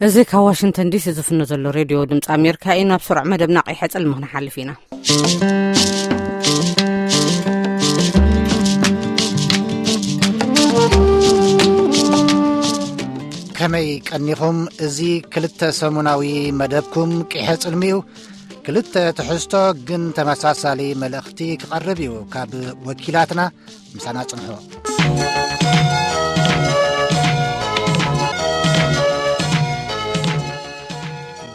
እዚ ካብ ዋሽንግተን ዲሲ ዝፍኖ ዘሎ ሬድዮ ድምፂ ኣሜሪካ እዩ። ናብ ስሩዕ መደብና ቀይሐ ጽልሚ ክንሓልፍ ኢና። ከመይ ቀኒኹም? እዚ ክልተ ሰሙናዊ መደብኩም ቂሐ ጽልሚ እዩ። ክልተ ትሕዝቶ ግን ተመሳሳሊ መልእኽቲ ክቐርብ እዩ። ካብ ወኪላትና ምሳና ጽንሑ።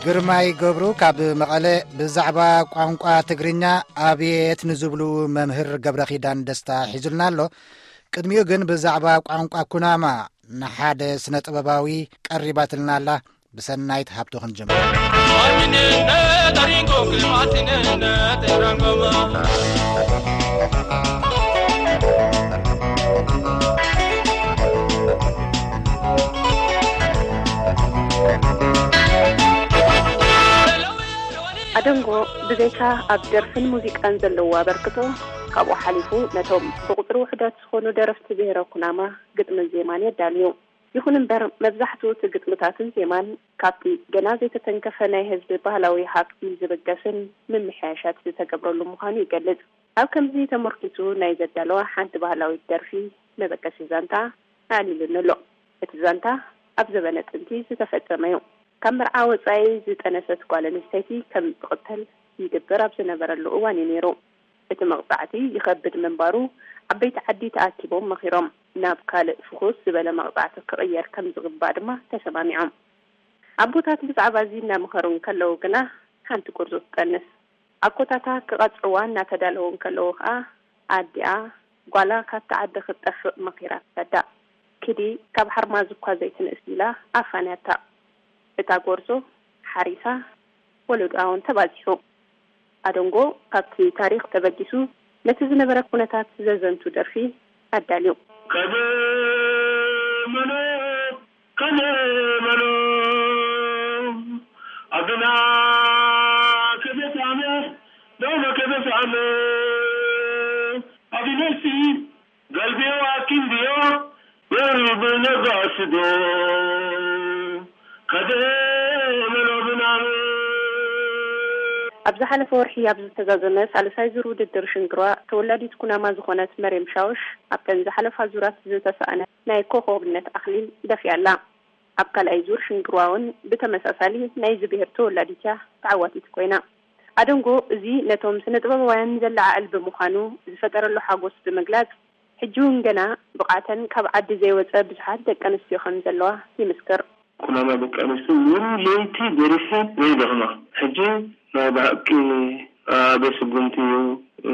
ግርማይ ገብሩ ካብ መቐለ ብዛዕባ ቋንቋ ትግርኛ ኣብየት ንዝብሉ መምህር ገብረ ኪዳን ደስታ ሒዙልና ኣሎ። ቅድሚኡ ግን ብዛዕባ ቋንቋ ኩናማ ንሓደ ስነ ጥበባዊ ቀሪባትልና ኣላ። ብሰናይት ሃብቱ ክንጅምር። ኣደንጎ ብዘይካ ኣብ ደርፍን ሙዚቃን ዘለዎ ኣበርክቶ፣ ካብኡ ሓሊፉ ነቶም ብቁጽሪ ውሑዳት ዝኾኑ ደረፍቲ ብሄረ ኩናማ ግጥምን ዜማን የዳልዩ። ይኹን እምበር፣ መብዛሕትኡ እቲ ግጥምታትን ዜማን ካብቲ ገና ዘይተተንከፈ ናይ ህዝቢ ባህላዊ ሃብቲ ዝብገስን ምምሕያሻት ዝተገብረሉ ምዃኑ ይገልጽ። ኣብ ከምዚ ተመርኪሱ ናይ ዘዳለዋ ሓንቲ ባህላዊት ደርፊ መበገሲ ዛንታ ኣዕሊሉኒ ኣሎ። እቲ ዛንታ ኣብ ዘበነ ጥንቲ ዝተፈጸመ እዩ። ካብ መርዓ ወጻኢ ዝጠነሰት ጓል ኣንስተይቲ ከም ትቕተል ይግበር ኣብ ዝነበረሉ እዋን እዩ ነይሩ። እቲ መቕጻዕቲ ይኸብድ ምንባሩ፣ ዓበይቲ ዓዲ ተኣኪቦም መኺሮም፣ ናብ ካልእ ፍኹስ ዝበለ መቕጻዕቲ ክቕየር ከም ዝግባእ ድማ ተሰማሚዖም። ኣቦታት ብዛዕባ እዚ እናመኸሩ እንከለዉ ግና፣ ሓንቲ ጎርዞ ትጠንስ። ኣኮታታ ክቐጽዕዋ እናተዳለዉ እንከለዉ ኸኣ፣ ኣዲኣ ጓላ ካብቲ ዓዲ ክትጠፍእ መኺራ ትሰዳ። ኪዲ፣ ካብ ሓርማዝ እኳ ዘይትንእስ ኢላ ኣፋንያታ። እታ ጎርዞ ሓሪሳ፣ ወለዶኣ እውን ተባዚሑ። ኣደንጎ ካብቲ ታሪኽ ተበጊሱ ነቲ ዝነበረ ኩነታት ዘዘንቱ ደርፊ ኣዳልዩ። ከደ መሎ፣ ከደ መሎ፣ ኣቢና ከደሳነ፣ ዶመ ከደሳነ፣ ኣቢነሲ ገልቢዮ ኣኪንድዮ፣ የርብ ነጋስዶ፣ ከደ መሎ ብናም። ኣብ ዝሓለፈ ወርሒ ኣብ ዝተዛዘመ ሳልሳይ ዙር ውድድር ሽንግሯ፣ ተወላዲት ኩናማ ዝኾነት መርየም ሻውሽ፣ ኣብተን ዝሓለፋ ዙራት ዝተሳእነ ናይ ኮኾብነት ኣኽሊል ደፊኣ ኣላ። ኣብ ካልኣይ ዙር ሽንግሯ እውን ብተመሳሳሊ ናይዚ ብሄር ተወላዲት እያ ተዓዋቲት ኮይና። ኣደንጎ፣ እዚ ነቶም ስነ ጥበባውያን ዘለዓዕል ብምዃኑ ዝፈጠረሉ ሓጎስ ብምግላጽ፣ ሕጂ እውን ገና ብቕዓተን ካብ ዓዲ ዘይወጸ ብዙሓት ደቂ ኣንስትዮ ከም ዘለዋ ይምስክር። ኩናማ ደቂ ኣንስትዮ እውን ለይቲ ደሪፈን ዘይደኽማ። ሕጂ ናይ ብሓቂ ኣበ ስጉምቲ እዩ።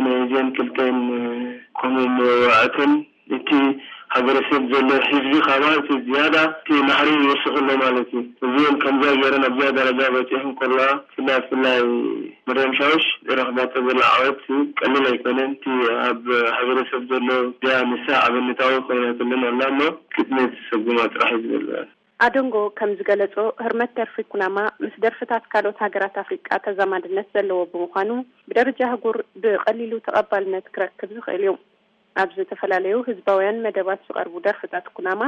ናይ እዚአን ክልተን ከምኡ መዋዕተን እቲ ሃገረሰብ ዘሎ ህዝቢ ካባ እቲ ዝያዳ እቲ ናህሪ ይወስኽ ኣሎ ማለት እዩ። እዚአን ከምዚኣ ገይረን ኣብዚኣ ደረጃ በፂሐን ከለዋ፣ ብፍላይ ብፍላይ መርያም ሻውሽ ረኽባቶ ዘላ ዓወት ቀሊል ኣይኮነን። እቲ ኣብ ሃገረሰብ ዘሎ እዚኣ ንሳ ኣብነታዊ ኮይናትለን ኣላ እሞ ግጥሚ ትሰጉማ ጥራሕ እዩ ዝብል። ኣደንጎ ከም ዝገለጾ፣ ህርመት ደርፊ ኩናማ ምስ ደርፍታት ካልኦት ሃገራት ኣፍሪቃ ተዛማድነት ዘለዎ ብምዃኑ፣ ብደረጃ ኣህጉር ብቐሊሉ ተቐባልነት ክረክብ ዝኽእል እዩ። ኣብ ዝተፈላለዩ ህዝባውያን መደባት ዝቐርቡ ደርፍታት ኩናማ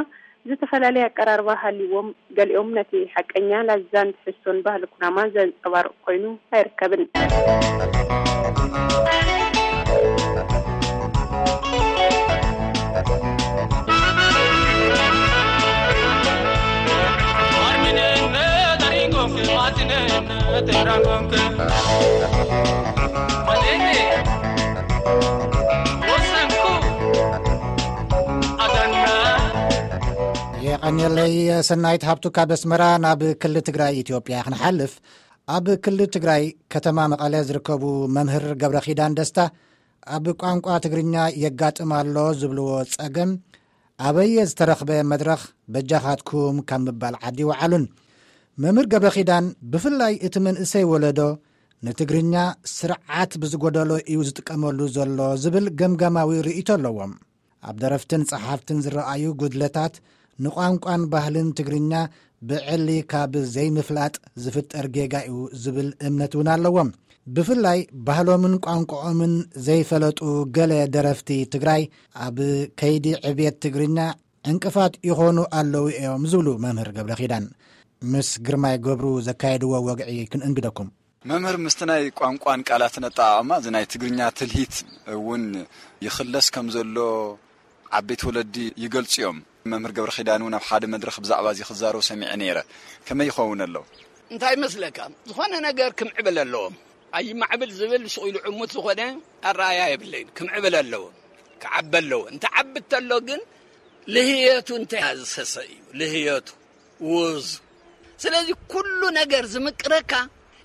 ዝተፈላለየ ኣቀራርባ ሃልይዎም፣ ገሊኦም ነቲ ሓቀኛ ላዛን ትሕዝቶን ባህሊ ኩናማ ዘንጸባርቕ ኮይኑ ኣይርከብን። የቐንየለይ ሰናይት ሃብቱ ካብ ኣስመራ። ናብ ክልል ትግራይ ኢትዮጵያ ክንሓልፍ፣ ኣብ ክልል ትግራይ ከተማ መቐለ ዝርከቡ መምህር ገብረ ኪዳን ደስታ ኣብ ቋንቋ ትግርኛ የጋጥም ኣሎ ዝብልዎ ጸገም ኣበየ ዝተረኽበ መድረኽ በጃኻትኩም ካብ ምባል ዓዲ ይወዓሉን። መምህር ገብረ ኪዳን ብፍላይ እቲ መንእሰይ ወለዶ ንትግርኛ ስርዓት ብዝጎደሎ እዩ ዝጥቀመሉ ዘሎ ዝብል ገምጋማዊ ርእይቶ ኣለዎም። ኣብ ደረፍትን ጸሓፍትን ዝረኣዩ ጉድለታት ንቋንቋን ባህልን ትግርኛ ብዕሊ ካብ ዘይምፍላጥ ዝፍጠር ጌጋ እዩ ዝብል እምነት እውን ኣለዎም። ብፍላይ ባህሎምን ቋንቋኦምን ዘይፈለጡ ገለ ደረፍቲ ትግራይ ኣብ ከይዲ ዕብየት ትግርኛ ዕንቅፋት ይኾኑ ኣለዉ እዮም ዝብሉ መምህር ገብረ ኪዳን። ምስ ግርማይ ገብሩ ዘካየድዎ ወግዒ ክንእንግደኩም። መምህር፣ ምስቲ ናይ ቋንቋን ቃላትን ኣጠቓቕማ እዚ ናይ ትግርኛ ትልሂት እውን ይኽለስ ከም ዘሎ ዓበይቲ ወለዲ ይገልጹ እዮም። መምህር ገብረ ኪዳን እውን ኣብ ሓደ መድረኽ ብዛዕባ እዚ ክዛረቡ ሰሚዐ ነይረ። ከመይ ይኸውን ኣሎ? እንታይ ይመስለካ? ዝኾነ ነገር ክምዕብል ኣለዎም። ኣይማዕብል ዝብል ስቕ ኢሉ ዕሙት ዝኾነ ኣረኣያ የብለይን። ክምዕብል ኣለዎ፣ ክዓቢ ኣለዎ። እንተ ዓቢ እንተሎ ግን ልህየቱ እንተ ዝሰሰ እዩ፣ ልህየቱ፣ ውዝ። ስለዚ ኩሉ ነገር ዝምቅረካ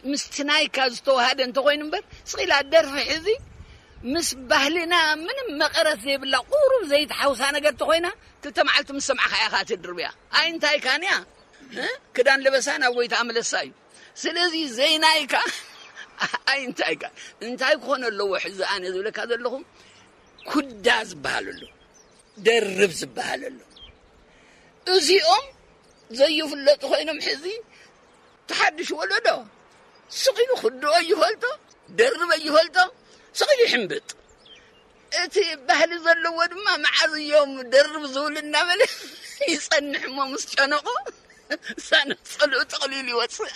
ምስቲ ናይካ ዝተዋሃደ እንተኾይኑ እምበር፣ ስቕ ኢላ ደርፊ ሕዚ ምስ ባህልና ምንም መቐረት ዘይብላ፣ ቁሩብ ዘይትሓውሳ ነገር እንተኾይና፣ ክልተ መዓልቲ ምስ ሰማዕኻ ኢኻ ትድርብያ። ኣይ እንታይካን እያ፣ እ? ክዳን ልበሳ ናብ ጎይታ ምለሳ እዩ። ስለዚ ዘይናይካ ኣይ እንታይካ፣ እንታይ ክኾን ኣለዎ? ሕዚ ኣነ ዝብለካ ዘለኹ ኩዳ ዝበሃል ኣሎ፣ ደርብ ዝበሃል ኣሎ። እዚኦም ዘይፍለጡ ኮይኖም ሕዚ ተሓድሽ ወለዶ ስቕ ኢሉ ክድኦ ይፈልጦ፣ ደርበ ይፈልጦ፣ ስቕ ኢሉ ይሕምብጥ። እቲ ባህሊ ዘለዎ ድማ መዓዝ እዮም ደርብ ዝብል እናበለ ይጸንሕ እሞ ምስ ጨነቆ ሳነጸሉ ጥቕሊል ይወጽእ።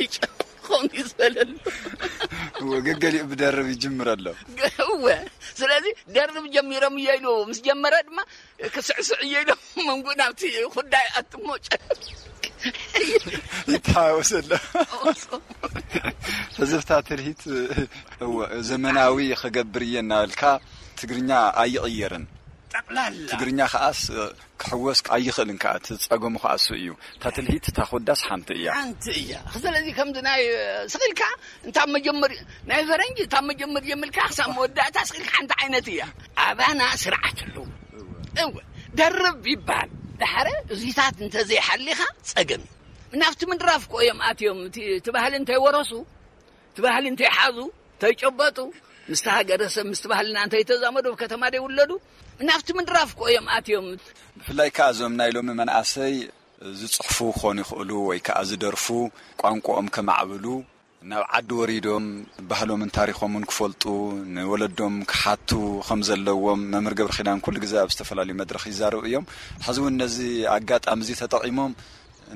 ይጨ-፣ ከምኡ እዩ ዝበለሉ። እወ፣ ገገሊኡ ብደርብ ይጅምር ኣሎ። ገ-፣ እወ። ስለዚ ደርብ ጀሚሮም እዮ ኢሉ ምስ ጀመረ ድማ ክስዕስዕ እዮ ኢሉ መንጎ ናብቲ ኩዳ ይኣቱ እሞ ጨ-፣ ይተሃወስ ኣሎ። ሕዝብታ ትርሂት፣ እወ፣ ዘመናዊ ክገብር እየ እናበልካ ትግርኛ ኣይቕየርን። ጠቕላላ። ትግርኛ ከኣስ ክሕወስ ኣይኽእልን ከኣ፣ እቲ ጸገሙ ከኣ እሱ እዩ። እታ ትልሂት እታ ኮዳስ ሓንቲ እያ። ሓንቲ እያ። ስለዚ ከምዚ ናይ ስቕ ኢልካ እንታ መጀመሪ-፣ ናይ ፈረንጂ እታ መጀመሪ ጀምልካ ክሳብ መወዳእታ ስቕ ኢልካ ሓንቲ ዓይነት እያ። ኣባና ስርዓት ኣለዎ። እወ፣ ደርብ ይበሃል። ድሓረ እዚታት እንተዘይሓሊኻ ጸገም እዩ። ናብቲ ምድራፍ እኮ እዮም ኣትዮም። እቲ፣ እቲ ባህሊ እንተይወረሱ፣ እቲ ባህሊ እንተይሓዙ፣ እንተይጨበጡ፣ ምስቲ ሃገረሰብ፣ ምስቲ ባህልና እንተይተዛመዱ፣ ኣብ ከተማ ደይውለዱ፣ ናብቲ ምድራፍ እኮ እዮም ኣትዮም። ብፍላይ ከኣ እዞም ናይ ሎሚ መናእሰይ ዝጽሕፉ ክኾኑ ይኽእሉ ወይ ከኣ ዝደርፉ ቋንቋኦም ከማዕብሉ ናብ ዓዲ ወሪዶም ባህሎምን ታሪኾምን ክፈልጡ ንወለዶም ክሓቱ ከም ዘለዎም መምህር ገብረ ኪዳን ኩሉ ግዜ ኣብ ዝተፈላለዩ መድረኽ ይዛረቡ እዮም። ሕዚ እውን ነዚ ኣጋጣሚ እዚ ተጠቒሞም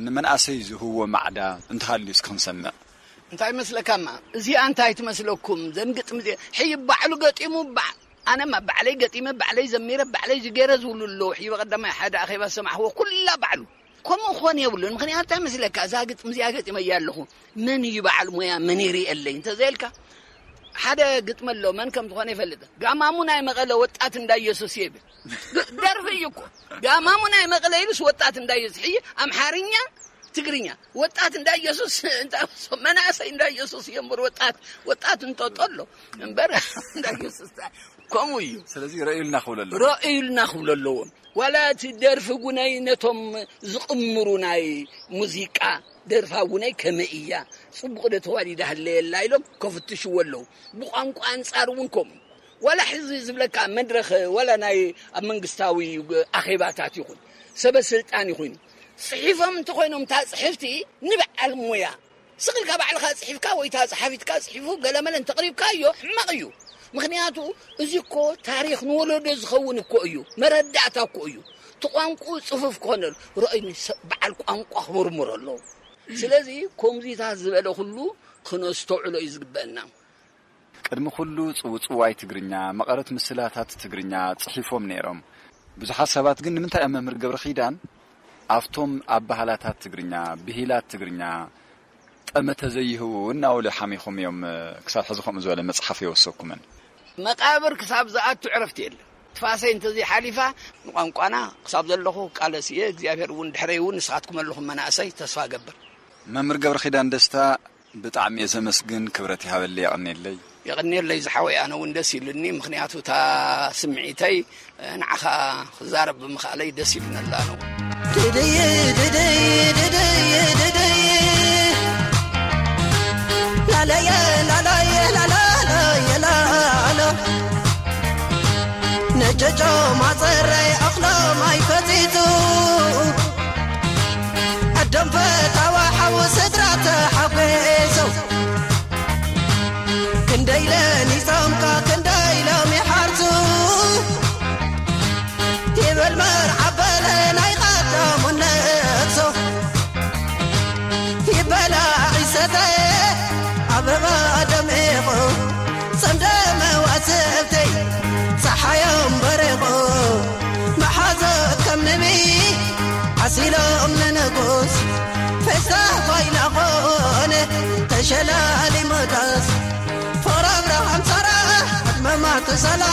ንመንኣሰይ ዝህዎ ማዕዳ እንተሃልዩ እስኪ ክንሰምዕ። እንታይ መስለካማ? እዚኣ እንታይ ትመስለኩም? ዘን ግጥሚ እዚኣ ሕይ ባዕሉ ገጢሙ፣ ባ-፣ ኣነማ ባዕለይ ገጢመ፣ ባዕለይ ዘሚረ፣ ባዕለይ ዝገረ ዝብሉ ኣለዉ። ሕይ በቐዳማይ ሓደ ኣኼባ ዝሰማዕኽዎ ኩላ ባዕሉ። ከምኡ ክኾን የብሉን። ምኽንያቱ እንታይ መስለካ? እዛ ግጥሚ እዚኣ ገጢመያ ኣለኹ። መን እዩ በዓል ሞያ? መን ይርእየለይ? እንተዘይልካ፣ ሓደ ግጥሚ ኣሎ፣ መን ከም ዝኾነ ይፈልጥ። ጋማሙ ናይ መቐለ ወጣት እንዳ ኢየሱስ ይብል። ግ-፣ ደርፊ እዩ እኮ። ጋማሙ ናይ መቐለ ኢሉስ ወጣት እንዳ ኢየሱስ። ሕይ ኣምሓርኛ፣ ትግርኛ። ወጣት እንዳ ኢየሱስ፣ እንዳ፣ መናእሰይ እንዳ ኢየሱስ እዮም እምበር ወጣት፣ ወጣት እንጠጦ ኣሎ እምበር እንዳ ኢየሱስ ከምኡ እዩ። ስለዚ ረእዩልና ክብሎ ኣለዎ። ረእዩልና ክብሎ ኣለዎም። ዋላ እቲ ደርፊ ጉነይ ነቶም ዝቕምሩ ናይ ሙዚቃ ደርፋ ጉነይ ከመይ እያ? ጽቡቕ ዶ ተዋዲዳ ህለየላ ኢሎም ከፍትሽዎ ኣለዉ። ብቋንቋ ኣንጻር እውን ከምኡ። ዋላ ሕዚ ዝብለካ መድረኽ፣ ዋላ ናይ ኣብ መንግስታዊ ኣኼባታት ይኹን፣ ሰበ ስልጣን ይኹን፣ ጽሒፎም እንተኾይኖም እታ ጽሕፍቲ ንበዓል ሞያ፣ ስቕ ኢልካ ባዕልኻ ጽሒፍካ ወይ እታ ጸሓፊትካ ጽሒፉ ገለመለ እንተቕሪብካዮ ሕማቕ እዩ። ምኽንያቱ እዚ እኮ ታሪኽ ንወለዶ ዝኸውን እኮ እዩ፣ መረዳእታ እኮ እዩ። እቲ ቋንቋኡ ጽፉፍ ክኾነሉ፣ ረኣዩኒ፣ ሰብ በዓል ቋንቋ ክምርምሮ ኣለዎ። ስለዚ ከምዚታት ዝበለ ኩሉ ክነስተውዕሎ እዩ ዝግበአና። ቅድሚ ኩሉ ጽውጽዋይ ትግርኛ፣ መቐረት ምስላታት ትግርኛ ጽሒፎም ነይሮም። ብዙሓት ሰባት ግን ንምንታይ እዮም መምህር ገብረ ኪዳን ኣብቶም ኣበሃላታት ትግርኛ፣ ብሂላት ትግርኛ ጠመተ ዘይህቡ እናበሉ ሓሚኾም እዮም፣ ክሳብ ሕዚ ከምኡ ዝበለ መጽሓፍ የወሰኩምን። መቃብር ክሳብ ዝኣቱ ዕረፍቲ የለን። ትፋሰይ እንተዘይሓሊፋ ንቋንቋና ክሳብ ዘለኹ ቃለስ እየ። እግዚኣብሔር እውን ድሕረይ እውን ንስኻትኩም ኣለኹም መናእሰይ፣ ተስፋ እገብር። መምህር ገብረ ኪዳን ደስታ፣ ብጣዕሚ እየ ዘመስግን። ክብረት ይሃበለይ፣ የቐንየለይ። የቐንየለይ ዝሓወይ፣ ኣነ እውን ደስ ኢሉኒ። ምኽንያቱ እታ ስምዒተይ ንዓኻ ክዛረብ ብምኽኣለይ ደስ ኢሉኒ ኣሎ ኣነ እውን። ድድይ፣ ድድይ፣ ድድይ፣ ድድይ። ላለየ፣ ላለየ፣ ላላለየ፣ ላሎ። ነጨጮ ማፀረይ ኣኽሎም ኣይፈፂጡ። ኣደም ፈታዋ ሓው ስድራ ተሓጒሶ። ክንደይ ለኒጾምካ ክንደይ ሎም ይሓርሱ። ይብል መርዓ በለ ናይ ቀደሙ ነግሶ። ሸላሊ ሞዳስ ፍቕሪ ኣብርሃም ሳራ ዕድመ ማቱሳላ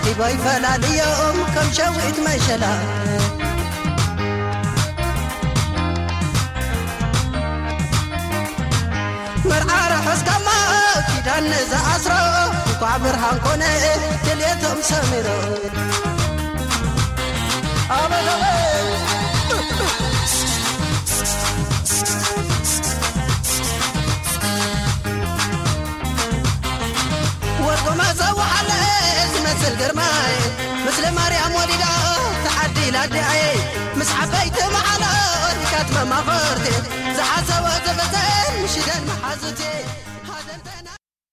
ዲባይ ፈላልዮም ከም ሸዊት መሸላ። መርዓ ርሑስ ጋማ ኪዳን ንዝኣስሮ እንኳዕ ብርሃን ኮነ ድልየቶም ሰሚሩ። ኣበበበ ወርቆማ ዘወዓለ ዝመስል ግርማይ ምስለ ማርያም ወሊዳ ተዓዲላ ኣዲኣየ ምስ ዓበይቲ መዓላ ሪካት መማኸርቲ ዝሓሰቦ ዘበዘን ምሽደን መሓዙቲ።